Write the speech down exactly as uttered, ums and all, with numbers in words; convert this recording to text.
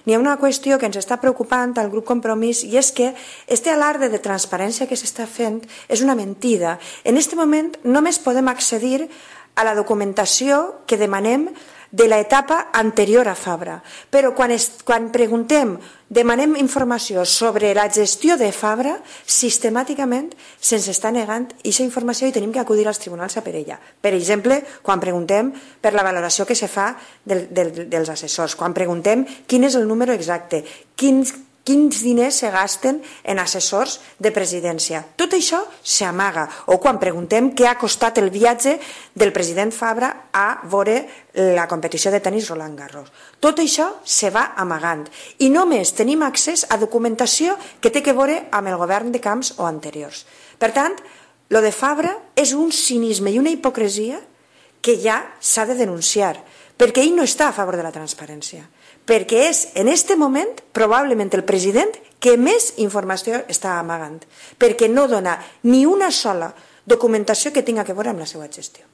n'hi ha una qüestió que ens està preocupant al grup Compromís i és que este alarde de transparència que s'està fent és una mentida. En aquest moment només podem accedir a la documentació que demanem de l'etapa anterior a Fabra. Però quan, es, quan preguntem, demanem informació sobre la gestió de Fabra, sistemàticament se'ns està negant aquesta informació i tenim que acudir als tribunals a per ella. Per exemple, quan preguntem per la valoració que se fa del, del, dels assessors, quan preguntem quin és el número exacte, quins quins diners se gasten en assessors de presidència. Tot això s'amaga. O quan preguntem què ha costat el viatge del president Fabra a veure la competició de tenis Roland Garros. Tot això se va amagant. I només tenim accés a documentació que té que veure amb el govern de Camps o anteriors. Per tant, lo de Fabra és un cinisme i una hipocresia que ja s'ha de denunciar, perquè ell no està a favor de la transparència. Perquè és, en aquest moment, probablement el president que més informació està amagant, perquè no dona ni una sola documentació que tinga que veure amb la seva gestió.